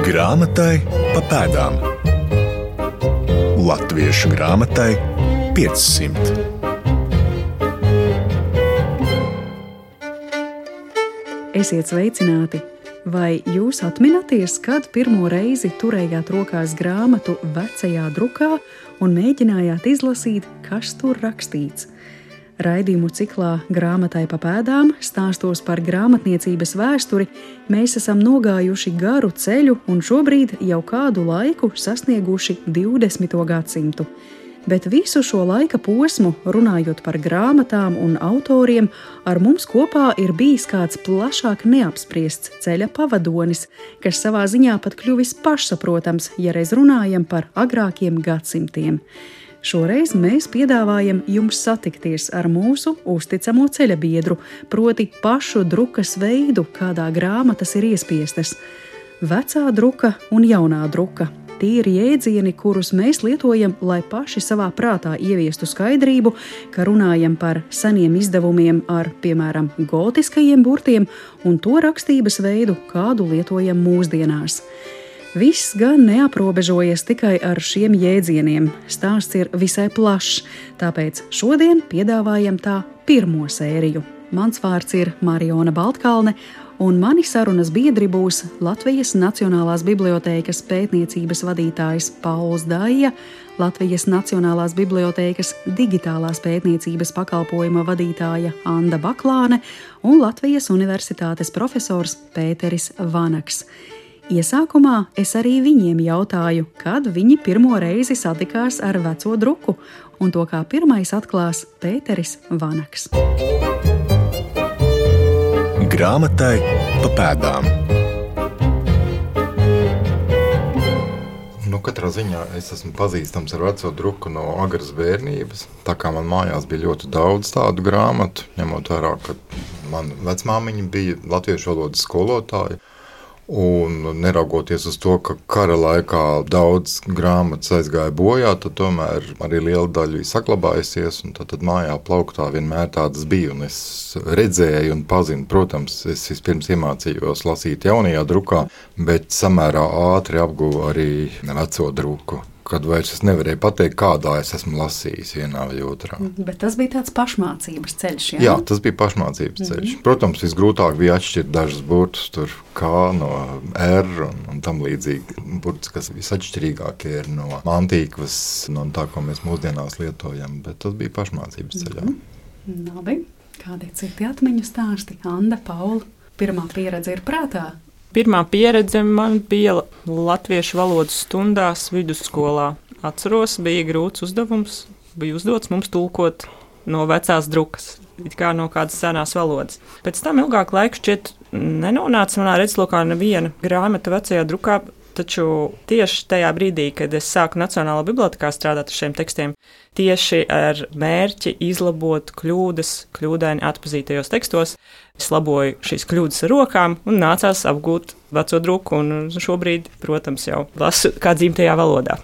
Grāmatai pa pēdām. Latviešu grāmatai 500. Esiet sveicināti! Vai jūs atminaties, kad pirmo reizi turējāt rokās grāmatu vecajā drukā un mēģinājāt izlasīt, kas tur rakstīts? Raidījumu ciklā Grāmatai pa pēdām stāstos par grāmatniecības vēsturi mēs esam nogājuši garu ceļu un šobrīd jau kādu laiku sasnieguši 20. gadsimtu. Bet visu šo laika posmu, runājot par grāmatām un autoriem, ar mums kopā ir bijis kāds plašāk neapspriests ceļa pavadonis, kas savā ziņā pat kļuvis pašsaprotams, ja reiz runājam par agrākiem gadsimtiem. Šoreiz mēs piedāvājam jums satikties ar mūsu uzticamo ceļabiedru, proti pašu drukas veidu, kādā grāmatas ir iespiestas. Vecā druka un jaunā druka. Tie ir jēdzieni, kurus mēs lietojam, lai paši savā prātā ieviestu skaidrību, ka runājam par seniem izdevumiem ar, piemēram, gotiskajiem burtiem un to rakstības veidu, kādu lietojam mūsdienās. Viss gan neaprobežojas tikai ar šiem jēdzieniem. Stāsts ir visai plašs, tāpēc šodien piedāvājam tā pirmo sēriju. Mans vārds ir Mariona Baltkalne, un mani sarunas biedri būs Latvijas Nacionālās bibliotēkas pētniecības vadītājs Pauls Daija, Latvijas Nacionālās bibliotēkas digitālās pētniecības pakalpojuma vadītāja Anda Baklāne un Latvijas Universitātes profesors Pēteris Vanaks. Iesākumā es arī viņiem jautāju, kad viņi pirmo reizi satikās ar veco druku, un to kā pirmais atklās Pēteris Vanaks. Grāmatai pa pēdām. Katrā ziņā es esmu pazīstams ar veco druku no agras bērnības, tā kā man mājās bija ļoti daudz tādu grāmatu, ņemot vērā, ka man vecmāmiņa bija latviešu valodas skolotāja. Un neraugoties uz to, ka kara laikā daudz grāmatas aizgāja bojā, tad tomēr arī liela daļa bija saglabājusies, un tad mājā plauktā vienmēr tādas bija, un es redzēju un pazinu. Protams, es vispirms iemācījos lasīt jaunajā drukā, bet samērā ātri apguvu arī veco druku, kad vairs es nevarēju pateikt, kādā es esmu lasījis vienā vai otrā. Bet tas bija tāds pašmācības ceļš, jā? Jā, tas bija pašmācības ceļš. Protams, visgrūtāk bija atšķirt dažus burtus, tur K no R un tam līdzīgi. Burtus, kas visatšķirīgākie ir no mantīkvas, no tā, ko mēs mūsdienās lietojam, bet tas bija pašmācības ceļā. Labi, kādi citi atmiņu stāsti? Anda, Paula, pirmā pieredze ir prātā? Pirmā pieredze man bija latviešu valodas stundās vidusskolā. Atceros, bija grūts uzdevums, bija uzdots mums tulkot no vecās drukas, it kā no kādas senās valodas. Pēc tam ilgāku laiku šķiet nenonāca manā redzeslokā neviena grāmata vecajā drukā, taču tieši tajā brīdī, kad es sāku Nacionālā bibliotekā strādāt ar šiem tekstiem, tieši ar mērķi izlabot kļūdas kļūdaini atpazītajos tekstos, es laboju šīs kļūdas ar rokām un nācās apgūt veco druku, un šobrīd, protams, jau lasu kā dzimtajā valodā.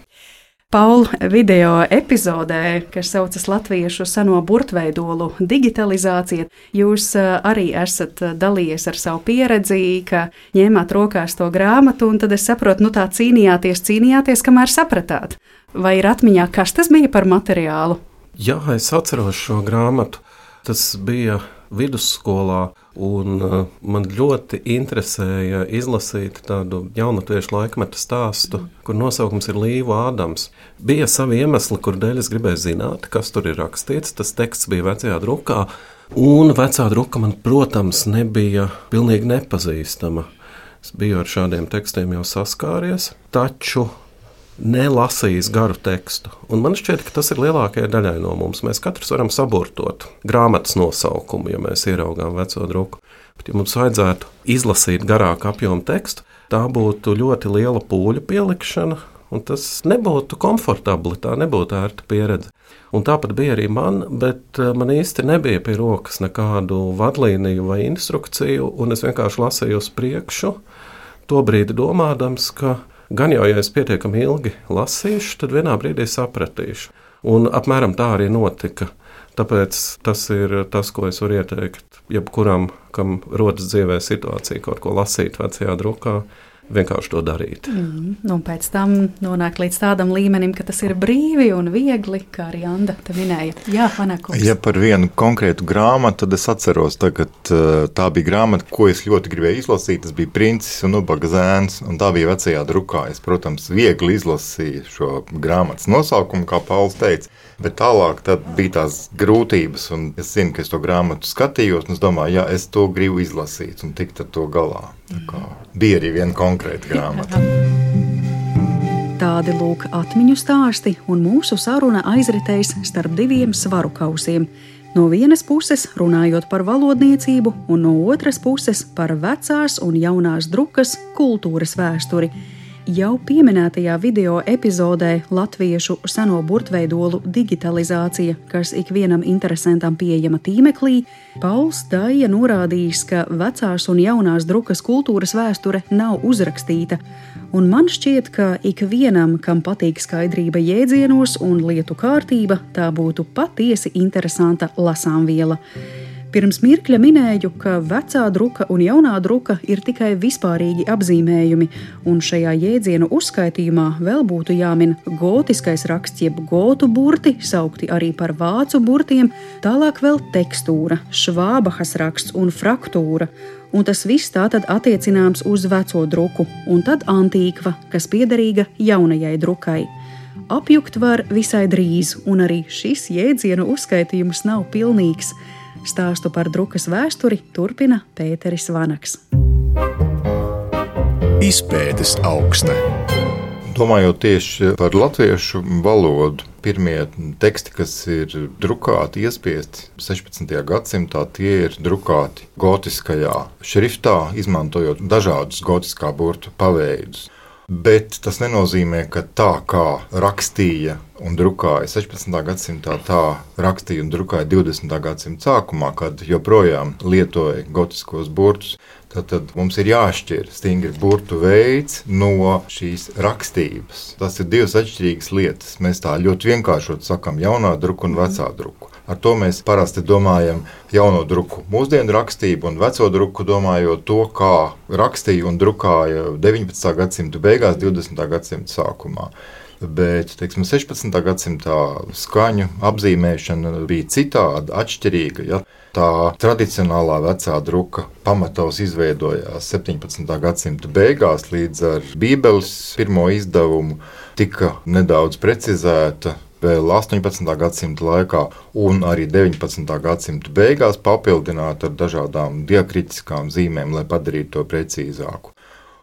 Paul, video epizodē, kas saucas Latviešu seno burtveidolu digitalizācija, jūs arī esat dalījies ar savu pieredzi, ka ņēmāt rokās to grāmatu, un tad es saprotu, tā cīnījāties, kamēr sapratāt. Vai ir atmiņā, kas tas bija par materiālu? Jā, es atceros šo grāmatu. Tas bija vidusskolā, un man ļoti interesēja izlasīt tādu jaunatviešu laikmeta stāstu, kur nosaukums ir Līva Ādams. Bija savi iemesli, kur dēļ es gribēju zināt, kas tur ir rakstīts. Tas teksts bija vecajā drukā, un vecā druka man, protams, nebija pilnīgi nepazīstama. Es biju ar šādiem tekstiem jau saskāries, taču nelasījis garu tekstu. Un man šķiet, ka tas ir lielākajai daļai no mums. Mēs katrs varam saburtot grāmatas nosaukumu, ja mēs ieraugām veco druku. Bet, ja mums vajadzētu izlasīt garāku apjomu tekstu, tā būtu ļoti liela pūļu pielikšana, un tas nebūtu komfortabli, tā nebūtu ērta pieredze. Un tāpat bija arī man, bet man īsti nebija pie rokas nekādu vadlīniju vai instrukciju, un es vienkārši lasīju uz priekšu, to brīdi domādams, ka gan jau, ja es pietiekami ilgi lasīšu, tad vienā brīdī sapratīšu. Un apmēram tā arī notika. Tāpēc tas ir tas, ko es varu ieteikt jebkuram, kam rodas dzīvē situācija kaut ko lasīt vecajā drukā. vienkārši to darīt. Un pēc tam nonāk līdz tādam līmenim, ka tas ir brīvi un viegli, kā arī Anda te minēja. Jā, Vanēkungs. Ja par vienu konkrētu grāmatu, tad es atceros, tagad tā bija grāmata, ko es ļoti gribēju izlasīt. Tas bija Princis un Ubaga zēns, un tā bija vecajā drukā. Es, protams, viegli izlasīju šo grāmatas nosaukumu, kā Pauls teica, bet tālāk tad bija tās grūtības, un es zinu, ka es to grāmatu skatījos, un es domāju, jā, es to gribu izlasīt un tikt ar to galā. Tā kā bija arī viena konkrēta grāmata. Tādi lūk atmiņu stāsti, un mūsu saruna aizritēs starp diviem svaru kausiem. No vienas puses runājot par valodniecību, un no otras puses par vecās un jaunās drukas kultūras vēsturi. Jau pieminētajā video epizodē latviešu seno burtveidolu digitalizācija, kas ikvienam interesantam pieejama tīmeklī, Pauls Daija norādījis, ka vecās un jaunās drukas kultūras vēsture nav uzrakstīta, un man šķiet, ka ikvienam, kam patīk skaidrība jēdzienos un lietu kārtība, tā būtu patiesi interesanta lasāmviela. Pirms mirkļa minēju, ka vecā druka un jaunā druka ir tikai vispārīgi apzīmējumi, un šajā jēdzienu uzskaitījumā vēl būtu jāmin gotiskais raksts jeb gotu burti, saukti arī par vācu burtiem, tālāk vēl tekstūra, švābahas raksts un fraktūra, un tas viss tātad attiecināms uz veco druku, un tad antīkva, kas piederīga jaunajai drukai. Apjukt var visai drīz, un arī šis jēdzienu uzskaitījums nav pilnīgs. Stāstu par drukas vēsturi turpina Pēteris Vanaks. Izpētes augsne. Domājot tieši par latviešu valodu, pirmie teksti, kas ir drukāti, iespiesti 16. gadsimtā, tie ir drukāti gotiskajā šriftā, izmantojot dažādus gotiskā burtu paveidus. Bet tas nenozīmē, ka tā kā rakstīja un drukāja 16. gadsimtā, tā rakstīja un drukāja 20. gadsimta sākumā, kad joprojām lietoja gotiskos burtus. Tad mums ir jāšķir stingri burtu veids no šīs rakstības. Tas ir divas atšķirīgas lietas. Mēs tā ļoti vienkāršot sakam jaunā druka un vecā druka. Ar to mēs parasti domājam jauno druku mūsdienu rakstību un veco druku domājot to, kā rakstīja un drukāja 19. gadsimta beigās, 20. gadsimta sākumā. Bet, 16. gadsimtā skaņu apzīmēšana bija citāda, atšķirīga. Ja? Tā tradicionālā vecā druka pamatos izveidojās 17. gadsimta beigās līdz ar Bībeles pirmo izdevumu, tika nedaudz precizēta vēl 18. gadsimta laikā un arī 19. gadsimta beigās papildināta ar dažādām diakritiskām zīmēm, lai padarītu to precīzāku.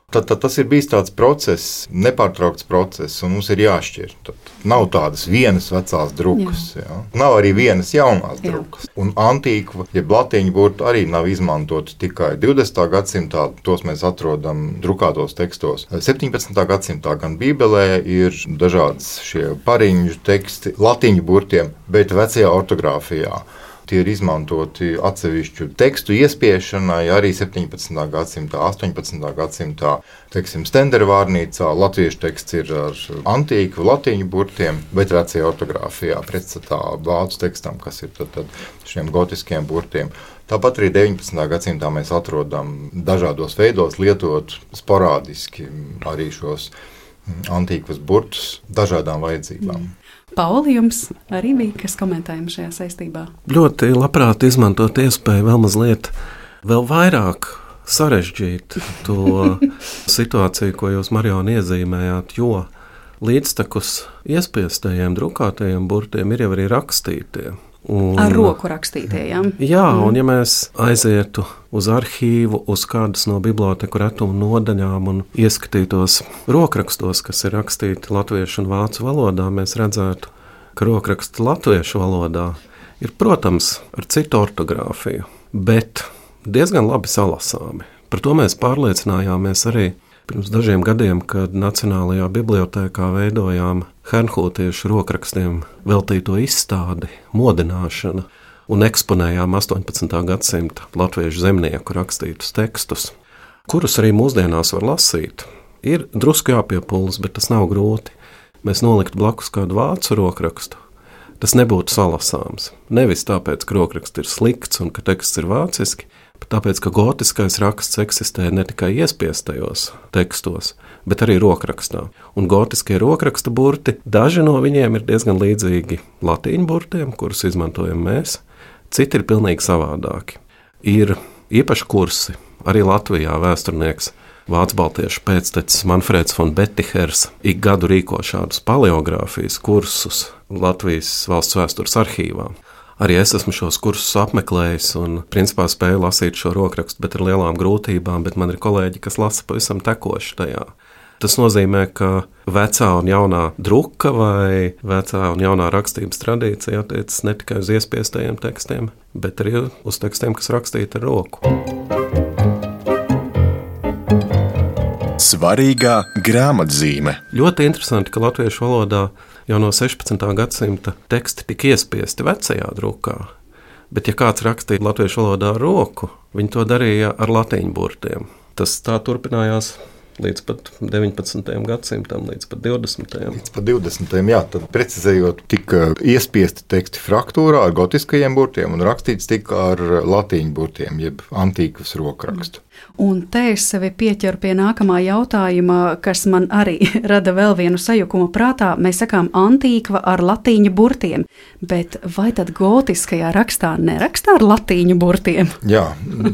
Tad tas ir bijis tāds process, nepārtraukts process, un mums ir jāšķir. Tad nav tādas vienas vecās drukas, ja? Nav arī vienas jaunās drukas. Un antīkva, jeb latīņu burti arī nav izmantoti tikai 20. gadsimtā, tos mēs atrodam drukātos tekstos. 17. gadsimtā gan Bībelē ir dažādas šie pariņu teksti latīņu burtiem, bet vecajā ortogrāfijā. Tie ir izmantoti atsevišķu tekstu iespiešanai arī 17. gadsimtā, 18. gadsimtā. Stendervārnīcā latviešu teksts ir ar antīku latīņu burtiem, bet vecajā ortogrāfijā pretstatā vācu tekstam, kas ir tad šiem gotiskiem burtiem. Tāpat arī 19. gadsimtā mēs atrodam dažādos veidos lietot sporādiski arī šos antīkvas burtus dažādām vajadzībām. Pauli, jums arī bija kas komentējums šajā saistībā? Ļoti labprāt izmantot iespēju vēl mazliet vēl vairāk sarežģīt to situāciju, ko jūs, Marijona, iezīmējāt, jo līdztekus iespiestajiem drukātajiem burtiem ir jau arī rakstītie. Ar roku rakstītie, jā? Jā, un ja mēs aizietu uz arhīvu, uz kādas no biblioteku retuma nodaļām un ieskatītos rokrakstos, kas ir rakstīti latviešu un vācu valodā, mēs redzētu, ka rokraksti latviešu valodā ir, protams, ar citu ortogrāfiju, bet diezgan labi salasāmi. Par to mēs pārliecinājāmies arī pirms dažiem gadiem, kad Nacionālajā bibliotēkā veidojām hernhūtiešu rokrakstiem veltīto izstādi, modināšana un eksponējām 18. gadsimta latviešu zemnieku rakstītus tekstus, kurus arī mūsdienās var lasīt. Ir drusku jāpiepūlas, bet tas nav grūti. Mēs noliktu blakus kādu vācu rokrakstu, tas nebūtu salasāms. Nevis tāpēc, ka rokraksts ir slikts un ka teksts ir vāciski, Tāpēc, ka gotiskais raksts eksistē ne tikai iespiestajos tekstos, bet arī rokrakstā. Un gotiskie rokraksta burti, daži no viņiem ir diezgan līdzīgi latīņu burtiem, kurus izmantojam mēs, citi ir pilnīgi savādāki. Ir īpaši kursi, arī Latvijā vēsturnieks vācu baltiešu pēctecis Manfreds von Betihers ik gadu rīko šādus paleogrāfijas kursus Latvijas valsts vēstures arhīvā. Arī es esmu šos kursus apmeklējis un principā spēju lasīt šo rokrakstu, bet ar lielām grūtībām, bet man ir kolēģi, kas lasa pavisam tekoši tajā. Tas nozīmē, ka vecā un jaunā druka vai vecā un jaunā rakstības tradīcija attiecas ne tikai uz iespiestajiem tekstiem, bet arī uz tekstiem, kas rakstīti ar roku. Svarīgā grāmatzīme. Ļoti interesanti, ka latviešu valodā jau no 16. gadsimta teksti tika iespiesti vecajā drukā, bet ja kāds rakstīja latviešu valodā ar roku, viņi to darīja ar latīņu burtiem. Tas tā turpinājās līdz pat 19. gadsimtam, līdz pat 20. Līdz pat 20. jā, tad precizējot, tika iespiesti teksti fraktūrā ar gotiskajiem burtiem un rakstīts tika ar latīņu burtiem, jeb antīkvas rokrakstu. Un te es sevi pieķeru pie nākamā jautājuma, kas man arī rada vēl vienu sajukumu prātā. Mēs sakām antīkva ar latīņu burtiem, bet vai tad gotiskajā rakstā nerakstā ar latīņu burtiem? Jā,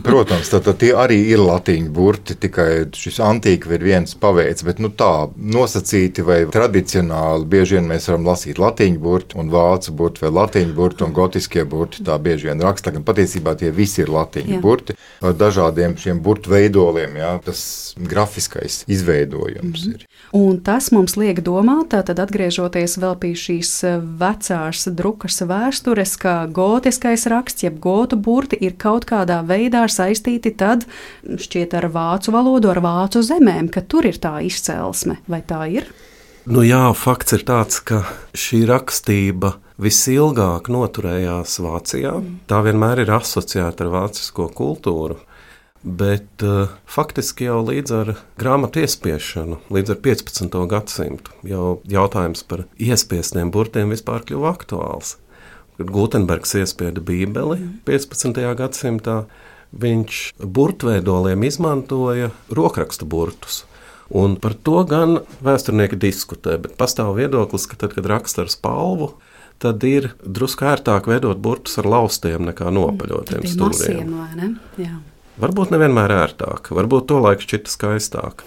protams, tad tie arī ir latīņu burti, tikai šis antīkva ir viens paveids, bet tā nosacīti vai tradicionāli bieži vien mēs varam lasīt latīņu burti un vācu burti vai latīņu burti un gotiskie burti, tā bieži vien raksta, gan patiesībā tie visi ir latīņu burti ar dažādiem šiem burtu veidoliem, jā, tas grafiskais izveidojums ir. Un tas mums liek domāt, tad atgriežoties vēl pie šīs vecās drukas vēstures, ka gotiskais raksts, jeb gotu burti ir kaut kādā veidā saistīti tad šķiet ar vācu valodu, ar vācu zemēm, ka tur ir tā izcelsme, vai tā ir? Jā, fakts ir tāds, ka šī rakstība visilgāk noturējās Vācijā. Tā vienmēr ir asociēta ar vācisko kultūru. Bet faktiski jau līdz ar grāmatu iespiešanu, līdz ar 15. gadsimtu, jau jautājums par iespiestiem burtiem vispār kļuva aktuāls. Kad Gutenbergs iespieda Bībeli 15. gadsimtā, viņš burtveidoliem izmantoja rokraksta burtus. Un par to gan vēsturnieki diskutē, bet pastāv viedoklis, ka tad, kad raksta ar spalvu, tad ir drusku ērtāk veidot burtus ar laustiem nekā nopaļotiem stūriem. Masiem, vai ne? Jā. Varbūt nevienmēr ērtāk, varbūt to laiku šķita skaistāk,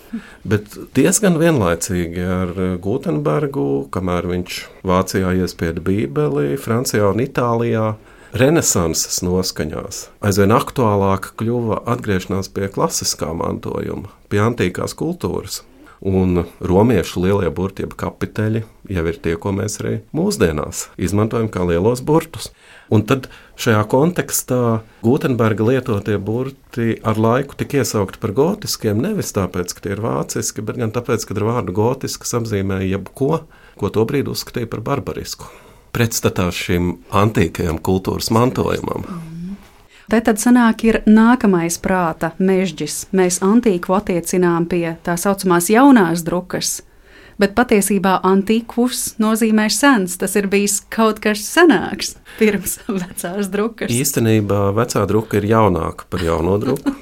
bet diezgan vienlaicīgi ar Gutenbergu, kamēr viņš Vācijā iespieda Bībeli, Francijā un Itālijā, renesanses noskaņās aizvien aktuālāk kļuva atgriešanās pie klasiskā mantojuma, pie antīkās kultūras. Un romiešu lielie burti, jeb kapiteļi, jau ir tie, ko mēs arī mūsdienās izmantojam kā lielos burtus. Un tad šajā kontekstā Gutenberga lietotie burti ar laiku tika iesaukti par gotiskiem, nevis tāpēc, ka tie ir vāciski, bet gan tāpēc, ka ar vārdu gotisks apzīmēja jebko, ko tobrīd uzskatīja par barbarisku. Pretstatā šim antīkajam kultūras mantojumam. Te tad sanāk ir nākamais prāta mežģis. Mēs antīkvu attiecinām pie tā saucamās jaunās drukas, bet patiesībā antīkvus nozīmē sens. Tas ir bijis kaut kas senāks pirms vecās drukas. Īstenībā vecā druka ir jaunāka par jauno druku.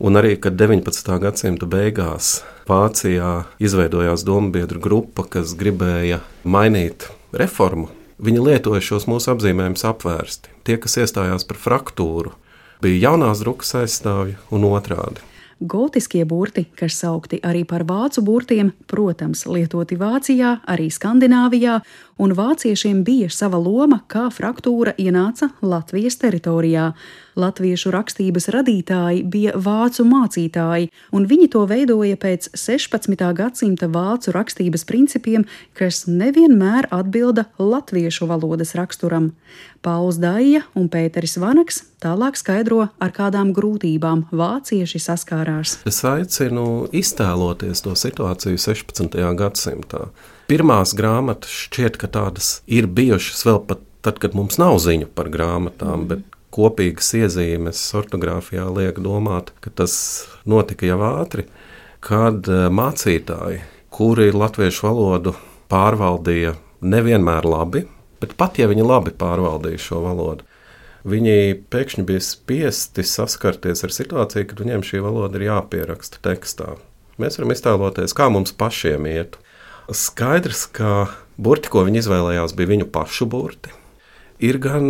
Un arī, kad 19. gadsimta beigās Vācijā izveidojās dombiedru grupa, kas gribēja mainīt reformu, viņi lietoja šos mūsu apzīmējumus apvērsti. Tie, kas iestājās par fraktūru, bija jaunās drukas aizstāvji un otrādi. Gotiskie burti, kas saukti arī par vācu burtiem, protams, lietoti Vācijā, arī Skandināvijā, un vāciešiem bija sava loma, kā fraktūra ienāca Latvijas teritorijā. Latviešu rakstības radītāji bija vācu mācītāji, un viņi to veidoja pēc 16. gadsimta vācu rakstības principiem, kas nevienmēr atbilda latviešu valodas raksturam. Pauls Daija un Pēteris Vanaks tālāk skaidro, ar kādām grūtībām vācieši saskārās. Es aicinu iztēloties to situāciju 16. gadsimtā. Pirmās grāmatas šķiet, ka tādas ir bijušas vēl pat tad, kad mums nav ziņu par grāmatām, bet kopīgas iezīmes ortogrāfijā liek domāt, ka tas notika jau ātri, kad mācītāji, kuri latviešu valodu pārvaldīja nevienmēr labi, bet pat ja viņi labi pārvaldīja šo valodu, viņi pēkšņi bija spiesti saskarties ar situāciju, kad viņiem šī valoda ir jāpieraksta tekstā. Mēs varam iztēloties, kā mums pašiem iet. Skaidrs, ka burti, ko viņi izvēlējās, bija viņu pašu burti. Ir gan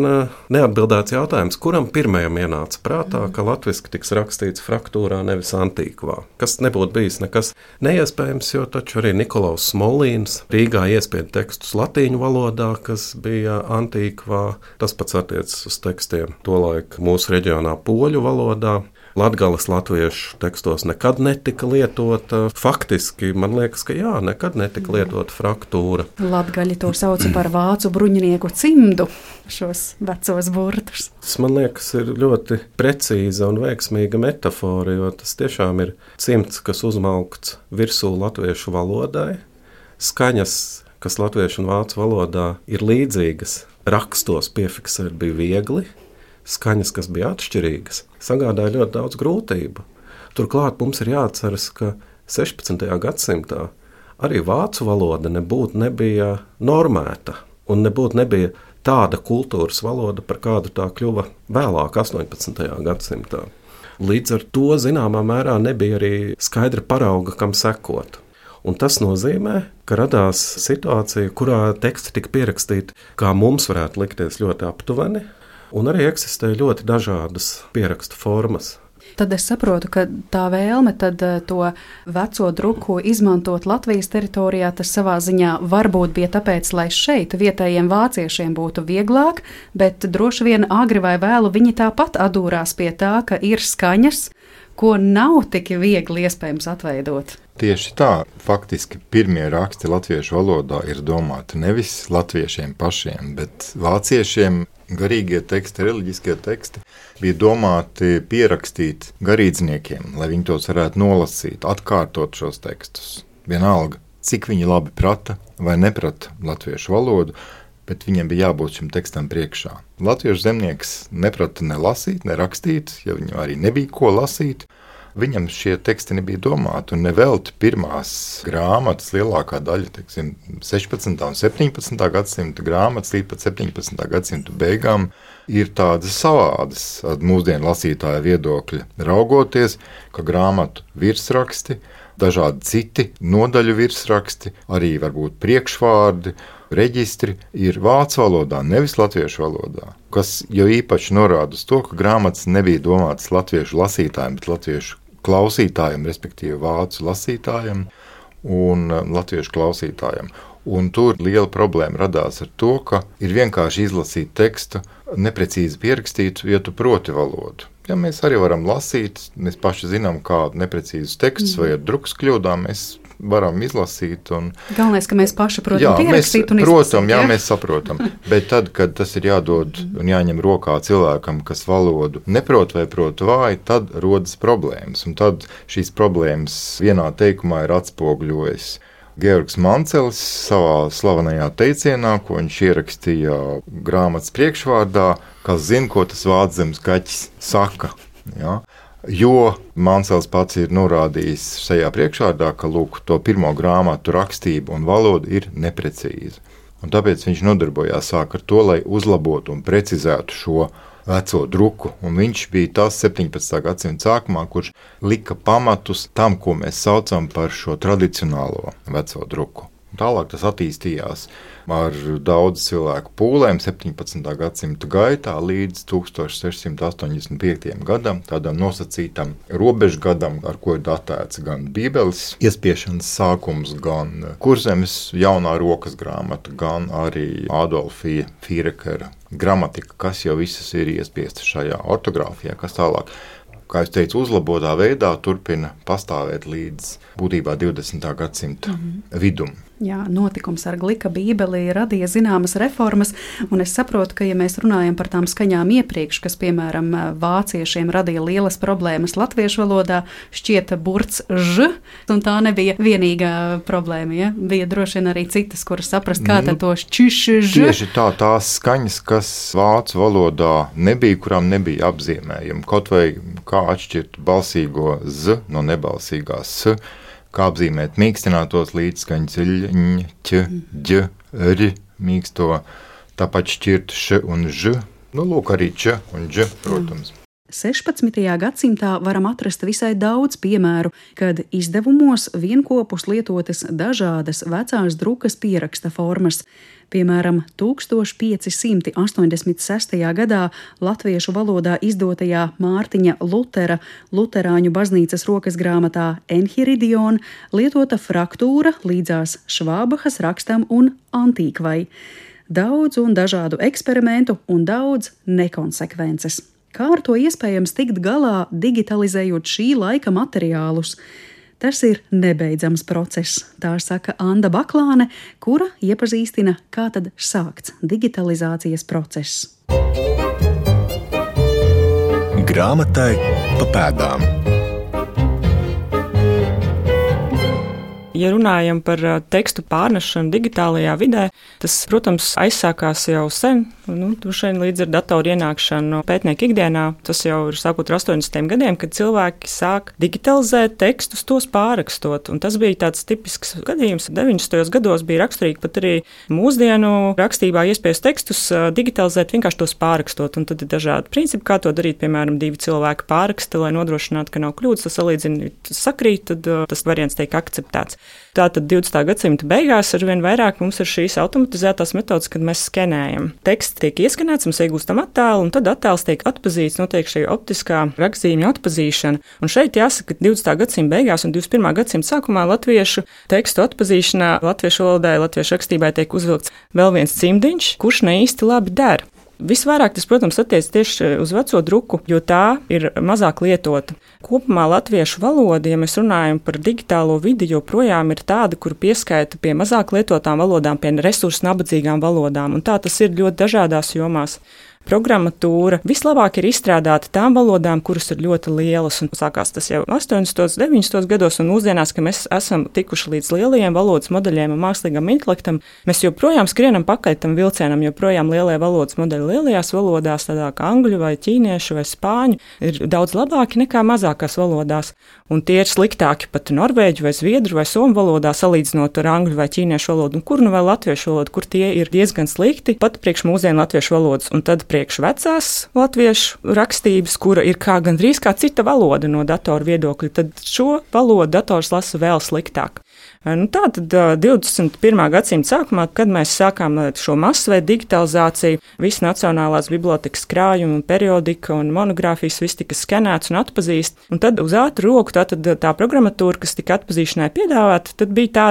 neatbildēts jautājums, kuram pirmajam ienāca prātā, ka latviski tiks rakstīts fraktūrā, nevis antīkvā. Kas nebūtu bijis nekas neiespējams, jo taču arī Nikolaus Smolīns Rīgā iespieda tekstus latīņu valodā, kas bija antīkvā. Tas pats attiecas uz tekstiem tolaik mūsu reģionā poļu valodā. Latgales latviešu tekstos nekad netika lietota. Faktiski, man liekas, ka jā, nekad netika lietota fraktūra. Latgaļi to sauca par vācu bruņinieku cimdu, šos vecos burtus. Tas, man liekas, ir ļoti precīza un veiksmīga metafora, jo tas tiešām ir cimds, kas uzmaukts virsū latviešu valodai. Skaņas, kas latviešu un vācu valodā ir līdzīgas, rakstos piefiksēt bija viegli. Skaņas, kas bija atšķirīgas, sagādāja ļoti daudz grūtību. Turklāt mums ir jāatceras, ka 16. gadsimtā arī vācu valoda nebija normēta un nebija tāda kultūras valoda, par kādu tā kļuva vēlāk 18. gadsimtā. Līdz ar to zināmā mērā nebija arī skaidra parauga, kam sekot. Un tas nozīmē, ka radās situācija, kurā teksti tika pierakstīti, kā mums varētu likties ļoti aptuveni, un arī eksistē ļoti dažādas pierakstu formas. Tad es saprotu, ka tā vēlme tad to veco druku izmantot Latvijas teritorijā, tas savā ziņā varbūt bija tāpēc, lai šeit vietējiem vāciešiem būtu vieglāk, bet droši vien agri vai vēlu viņi tāpat adūrās pie tā, ka ir skaņas, ko nav tik viegli iespējams atveidot. Tieši tā, faktiski pirmie raksti latviešu valodā ir domāti nevis latviešiem pašiem, bet vāciešiem. Garīgie teksti, reliģiskie teksti bija domāti pierakstīt garīdzniekiem, lai viņi tos varētu nolasīt, atkārtot šos tekstus. Vienalga, cik viņi labi prata vai neprata latviešu valodu, bet viņiem bija jābūt šim tekstam priekšā. Latviešu zemnieks neprata ne lasīt, ne rakstīt, jo viņam arī nebija ko lasīt. Viņam šie teksti nebija domāti, un nevelti pirmās grāmatas, lielākā daļa, 16. un 17. gadsimta grāmatas līdz pat 17. gadsimta beigām ir tādas savādas mūsdienu lasītāja viedokļa, raugoties, ka grāmatu virsraksti, dažādi citi nodaļu virsraksti, arī varbūt priekšvārdi, reģistri ir vācu valodā, nevis latviešu valodā, kas jau īpaši norāda uz to, ka grāmatas nebija domātas latviešu lasītājiem, bet latviešu klausītājiem, respektīvi vācu lasītājiem un latviešu klausītājiem. Un tur liela problēma radās ar to, ka ir vienkārši izlasīt tekstu, neprecīzi pierakstītu, ja tu proti valodu. Ja mēs arī varam lasīt, mēs paši zinām, kādu neprecīzus tekstus vai ar drukas kļūdām mēs varam izlasīt. Galvenais, ka mēs paši protam pierakstīt un izlasīt. Jā, mēs saprotam. Bet tad, kad tas ir jādod un jāņem rokā cilvēkam, kas valodu neprot vai prot vāji, tad rodas problēmas. Un tad šīs problēmas vienā teikumā ir atspoguļojis Georgs Mancelis savā slavenajā teicienā, ko viņš ierakstīja grāmatas priekšvārdā, kas zina, ko tas vāczemes kaķis saka. Ja? Jo Mancels pats ir norādījis šajā priekšvārdā, ka lūk, to pirmo grāmatu rakstība un valoda ir neprecīza. Un tāpēc viņš nodarbojās sāk ar to, lai uzlabotu un precizētu šo veco druku. Un viņš bija tas 17. gadsimta sākumā, kurš lika pamatus tam, ko mēs saucam par šo tradicionālo veco druku. Tālāk tas attīstījās ar daudz cilvēku pūlēm 17. gadsimta gaitā līdz 1685. gadam, tādam nosacītam robežgadam, ar ko ir datēts gan Bībeles iespiešanas sākums, gan Kurzemes jaunā rokas grāmata, gan arī Adolfija Fīrekera gramatika, kas jau visas ir iespiestas šajā ortogrāfijā, kas tālāk, kā es teicu, uzlabotā veidā turpina pastāvēt līdz būtībā 20. gadsimta vidum. Jā, notikums ar Glika bībeli radīja zināmas reformas, un es saprotu, ka, ja mēs runājam par tām skaņām iepriekš, kas, piemēram, vāciešiem radīja lielas problēmas latviešu valodā, šķieta burts ž, un tā nebija vienīgā problēma, ja? Bija droši vien arī citas, kuras saprast, kā tad to šķiš ž. Tieši tā, tās skaņas, kas vācu valodā nebija, kurām nebija apzīmējumi, kaut vai kā atšķirt balsīgo z no nebalsīgās s, kā apzīmēt mīkstinātos līdzskaņas ļ, ķ, ģ, r, mīksto, tāpat šķirt š un ž, Nu, lūk, arī č un dž, protams. 16. gadsimtā varam atrast visai daudz piemēru, kad izdevumos vienopus lietotas dažādas vecās drukas pieraksta formas. Piemēram, 1586. gadā latviešu valodā izdotajā Mārtiņa Lutera Luterāņu baznīcas rokas grāmatā Enhiridion lietota fraktūra līdzās Švābahas rakstam un antīkvai. Daudz un dažādu eksperimentu un daudz nekonsekvences. Kā ar to iespējams tikt galā, digitalizējot šī laika materiālus? Tas ir nebeidzams process, tā saka Anda Baklāne, kura iepazīstina, kā tad sākts digitalizācijas process. Grāmatai pa pēdām. Ja runājam par tekstu pārnešanu digitālajā vidē, tas, protams, aizsākās jau sen, šeit līdz ar datoru ienākšanu pētnieku ikdienā. Tas jau ir sākot ar 80. gadiem, kad cilvēki sāk digitalizēt tekstus, tos pārrakstot. Un tas bija tāds tipisks gadījums. 90. gados bija raksturīgi pat arī mūsdienu rakstībā iespējas tekstus digitalizēt, vienkārši tos pārrakstot. Un tad ir dažādi principi, kā to darīt. Piemēram, 2 cilvēki pārraksta, lai nodrošinātu, ka nav kļūdas, tas salīdzina, sakrīt, tad tas variants tiek akceptēts. Tātad 20. gadsimta beigās arvien vairāk mums ir šīs automatizētās metodas, kad mēs skenējam. Teksts tiek ieskanēts, mēs iegūstam attēlu, un tad attēls tiek atpazīts, notiek šī optiskā rakstzīmju atpazīšana. Un šeit jāsaka, ka 20. gadsimta beigās un 21. gadsimta sākumā latviešu tekstu atpazīšanā, latviešu valodai, latviešu rakstībai tiek uzvilkts vēl viens cimdiņš, kurš ne īsti labi der. Visvairāk tas, protams, attiecas tieši uz veco druku, jo tā ir mazāk lietota. Kopumā latviešu valoda, ja mēs runājam par digitālo vidi, joprojām ir tāda, kur pieskaita pie mazāk lietotām valodām, pie resursu nabadzīgām valodām, un tā tas ir ļoti dažādās jomās. Programmatūra vislabāk ir izstrādāta tām valodām, kuras ir ļoti lielas, un sākās tas jau 80. 90. gados, un mūsdienās, ka mēs esam tikuši līdz lielajiem valodas modeļiem un mākslīgam intelektam, mēs joprojām skrienam pakaļ tam vilcienam, joprojām lielie valodas modeļi lielajās valodās, tādā kā angļu vai ķīniešu vai spāņu, ir daudz labāki nekā mazākās valodās, un tie ir sliktāki pat norvēģu vai zviedru vai somu valodā salīdzinot ar angļu vai ķīniešu valodu, un kur nu vēl latviešu valodu, kur tie ir diezgan slikti, pat priekš mūsdienu latviešu valodas, un tad priekš vecās latviešu rakstības, kura ir gandrīz kā cita valoda no datora viedokļa, tad šo valodu dators lasa vēl sliktāk. Tā tad 21. gadsimta sākumā, kad mēs sākām šo masveidu digitalizāciju, visi nacionālās bibliotekas krājumi, periodika un monogrāfijas viss tika skenēts un atpazīst, un tad uz ātru roku tā programmatūra, kas tika atpazīšanai piedāvāta, tad bija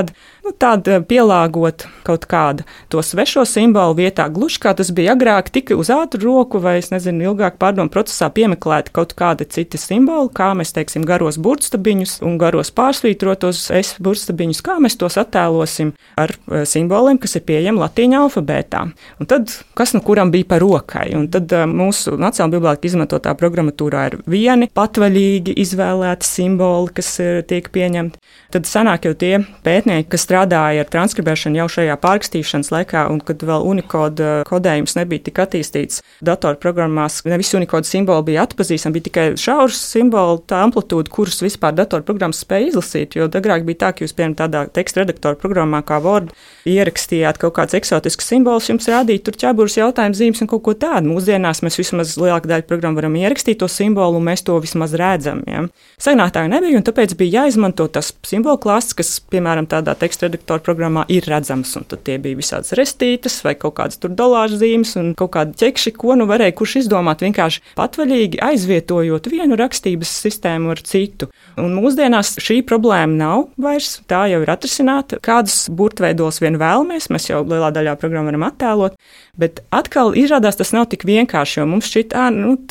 tāda pielāgot kaut kāda to svešo simbolu vietā, gluži kā tas bija agrāk, tika uz ātru roku vai, ilgāk pārdomu procesā piemeklēti kaut kādi citi simboli, kā mēs, teiksim, garos burtstabiņus un garos pārsvītrotos S burtstabiņus, kā mēs tos attēlosim ar simboliem, kas ir pieejami latīņu alfabētā. Un tad, kas nu kuram bija par rokai? Un tad mūsu Nacionālā biblioteka izmantotā programmatūrā ir vieni patvaļīgi izvēlēti simboli, kas tiek pieņemti. Tad sanāk jau tie pētnieki, kas strādāja ar transkribēšanu jau šajā pārrakstīšanas laikā, un kad vēl Unicode kodējums nebija tik attīstīts datorprogrammās, ne visi Unicode simboli bija atpazīstami, bija tikai šaurs simbolu, tā amplitūda, kurus vispār datorprogrammas spēja izlasīt, jo agrāk bija tā, ka jūs, piemēram, tādā teksta redaktora programmā kā Word ierakstījāt kaut kāds eksotisks simbols, jums rādīt tur ķēburus, jautājumu zīmes un kaut ko tādu. Mūsdienās mēs vismaz lielāku daļu programmu varam ierakstīt to simbolu, un mēs to vismaz redzam. Ja? Senāk tā nebija, un tāpēc bija jāizmanto tas simbolu klāsts, kas, piemēram, tādā teksta redaktora programmā ir redzams, un tad tie bija visādas restītes vai kaut kādas tur dolāru zīmes un kaut kādi ķekši, ko nu varēja kurš izdomāt vienkārši patvaļīgi aizvietojot vienu rakstības sistēmu ar citu. Un mūsdienās šī problēma nav vairs, tā jau ir atrisināta. Kādus burtveidos vien vēlamies, mēs jau lielā daļā programmu varam attēlot, bet atkal izrādās tas nav tik vienkārši, jo mums šķiet,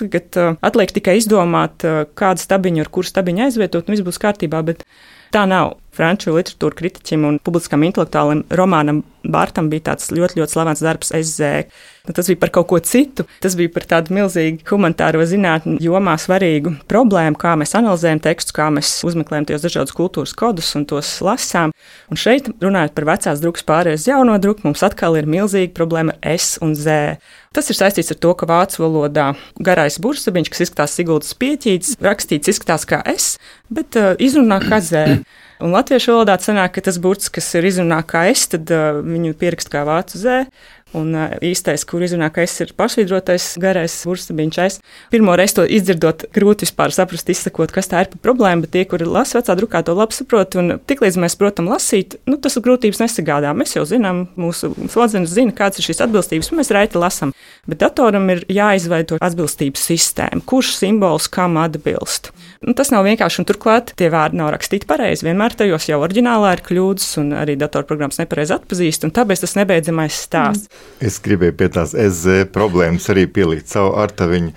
tagad atliek tikai izdomāt, kādu stabiņu ar kuru stabiņu aizvietot, un viss būs kārtībā, bet tā nav. Franču literatūra kritiķim un publiskam intelektuālim Romanam Bārtam bija tāds ļoti, ļoti slavens darbs SZ. Tas bija par kaut ko citu, tas bija par tādu milzīgu humanitāro zinātņu jomā svarīgu problēmu, kā mēs analizējam tekstus, kā mēs uzmeklējam tos dažādus kultūras kodus un tos lasām. Un šeit, runājot par vecās drukas pārējais jauno druku, mums atkal ir milzīga problēma ar S un Z. Tas ir saistīts ar to, ka vācu valodā garais burtstabiņš, kas izskatās Siguldas pieķītis, rakstīts izskatās kā S, bet izrunā kā Z. Un latviešu valodā sanāk, ka tas burts, kas ir izrunā kā S, tad viņu pierakst kā vācu Z. Un īstais, kur izrunā, ka es ir pašvīdrotais garais burstabiņš. Es pirmo reizi to izdzirdot, grūti vispār saprast, izsakot, kas tā ir par problēmu, bet tie, kuri lasa vecā drukā, to labi saprot. Un tiklīdz mēs protam lasīt, tas grūtības nesagādā. Mēs jau zinām, mūsu smadzenes zina, kāds ir šīs atbilstības, un mēs raiti lasam. Bet datoram ir jāizveido atbilstības sistēma, kurš simbols kam atbilst. Tas nav vienkārši, un turklāt tie vārdi nav rakstīti pareizi. Vienmēr tajos jau oriģinālā ir kļūdas, un arī datorprogrammas nepareizi atpazīst, un tāpēc tas nebeidzamais stāsts. Es gribēju pie tās SZ problēmas arī pielikt savu artaviņu,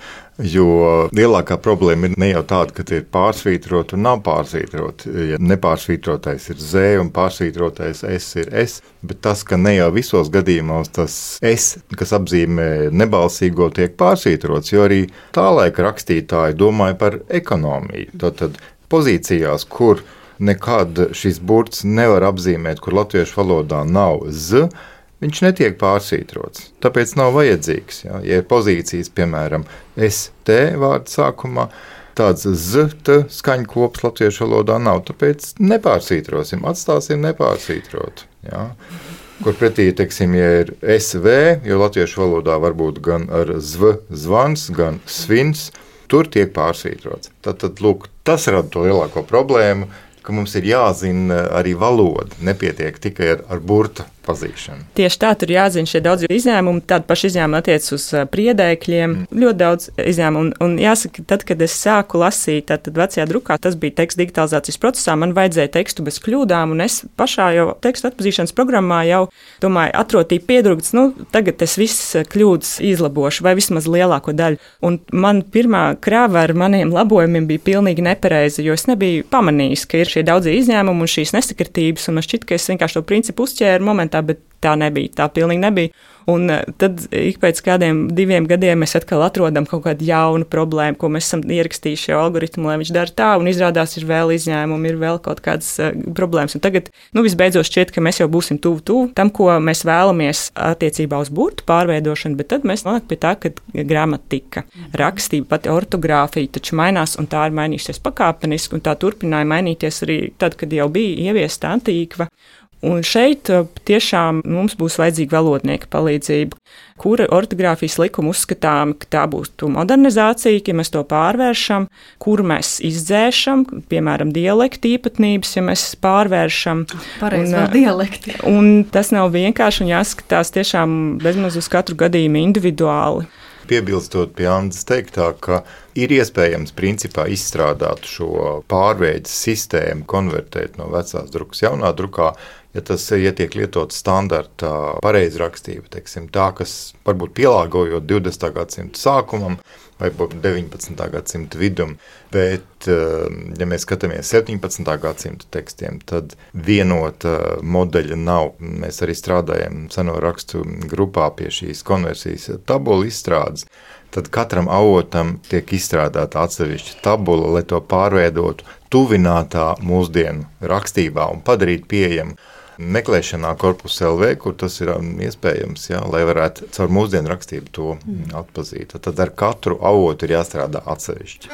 jo lielākā problēma ir ne jau tāda, ka tie ir pārsvītroti un nav pārsvītroti. Ja nepārsvītrotais ir Z un pārsvītrotais S ir S, bet tas, ka ne jau visos gadījumos tas S, kas apzīmē nebalsīgo, tiek pārsvītrots, jo arī tā laika rakstītāji domāja par ekonomiju. Tātad pozīcijās, kur nekad šis burts nevar apzīmēt, kur latviešu valodā nav Z, viņš netiek pārsvītrots, tāpēc nav vajadzīgs. Ja ir pozīcijas, piemēram, ST vārdu sākumā, tāds ZT skaņu kops latviešu valodā nav, tāpēc nepārsvītrosim, atstāsim nepārsvītrot. Ja. Kur pretī, teiksim, ja ir SV, jo latviešu valodā var būt gan ar zv, zvans, gan svins, tur tiek pārsvītrots. Tad, lūk, tas rada to lielāko problēmu, ka mums ir jāzina arī valoda, nepietiek tikai ar burta pazīšanu. Tieši tā, tur jāzina šie daudz izņēmumi, tādi paši izņēmumi attiec uz priedēkļiem, ļoti daudz izņēmumu. Un jāsaka, tad, kad es sāku lasīt, tad vecajā drukā, tas bija teksta digitalizācijas procesā, man vajadzēja tekstu bez kļūdām, un es pašā jau tekstu atpazīšanas programmā jau, domāju, atrotīju piedrukts, tagad es visas kļūdas izlabošu, vai vismaz lielāko daļu. Un man pirmā krāva ar maniem labojumiem bija pilnīgi nepareiza, jo es nebiju pamanījis, ka ir šie daudzie izņēmumi un šīs nesakritības, un man šķiet, ka es vienkārši to principu uzķēru momentā, bet tā nebija, tā pilnīgi nebija. Un tad ik pēc kādiem 2 gadiem mēs atkal atrodam kaut kādu jaunu problēmu, ko mēs esam ierakstījuši jau algoritmu, lai viņš dara tā, un izrādās ir vēl izņēmumi, ir vēl kaut kādas problēmas. Un tagad, visbeidzot šķiet, ka mēs jau būsim tuvu tam, ko mēs vēlamies attiecībā uz burtu pārveidošanu, bet tad mēs nonāk pie tā, ka gramatika, rakstība, pati ortogrāfija taču mainās, un tā ir mainījusies pakāpeniski, un tā turpināja mainīties arī tad, kad jau bija ieviesta antīkva. Un šeit tiešām mums būs vajadzīga valodnieka palīdzība, kura ortogrāfijas likuma uzskatām, ka tā būs modernizācija, ja mēs to pārvēršam, kuru mēs izdzēšam, piemēram, dialektu īpatnības, ja mēs pārvēršam. Pareizi vēl dialekti. Un tas nav vienkārši, un jāskatās tiešām bezmaz uz katru gadījumu individuāli. Piebilstot pie Andas teiktā, ka ir iespējams principā izstrādāt šo pārveides sistēmu, konvertēt no vecās drukas jaunā drukā, ja tas tiek lietots standarta pareizrakstība, teiksim, tā, kas varbūt pielāgojot 20. gadsimta sākumam vai 19. gadsimta vidum, bet, ja mēs skatāmies 17. gadsimta tekstiem, tad vienota modeļa nav. Mēs arī strādājam seno rakstu grupā pie šīs konversijas tabula izstrādes, tad katram avotam tiek izstrādāta atsevišķa tabula, lai to pārveidotu tuvinātā mūsdienu rakstībā un padarīt pieejamu meklēšanā Korpus LV, kur tas ir iespējams, lai varētu caur mūsdienu rakstību to atpazīt. Tad ar katru avotu ir jāstrādā atsevišķi.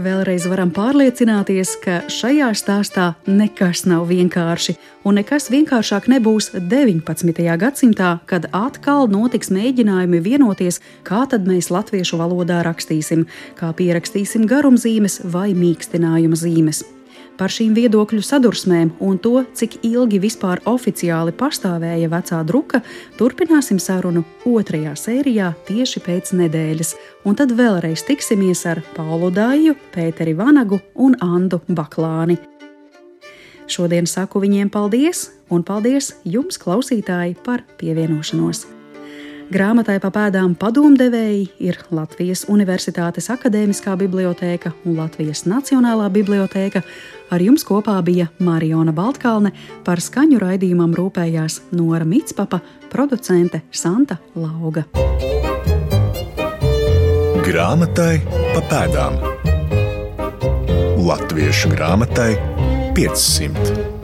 Vēlreiz varam pārliecināties, ka šajā stāstā nekas nav vienkārši, un nekas vienkāršāk nebūs 19. gadsimtā, kad atkal notiks mēģinājumi vienoties, kā tad mēs latviešu valodā rakstīsim, kā pierakstīsim garumzīmes vai mīkstinājuma zīmes. Par šīm viedokļu sadursmēm un to, cik ilgi vispār oficiāli pastāvēja vecā druka, turpināsim sarunu 2. sērijā tieši pēc nedēļas, un tad vēlreiz tiksimies ar Paulu Dāju, Pēteri Vanagu un Andu Baklāni. Šodien saku viņiem paldies, un paldies jums, klausītāji, par pievienošanos. Grāmatai pa pēdām padomdevēji ir Latvijas Universitātes Akadēmiskā bibliotēka un Latvijas Nacionālā bibliotēka. Ar jums kopā bija Mariona Baltkalne, par skaņu raidījumam rūpējās Nora Mitspapa, producente Santa Lauga. Grāmatai pa pēdām. Latviešu grāmatai 500.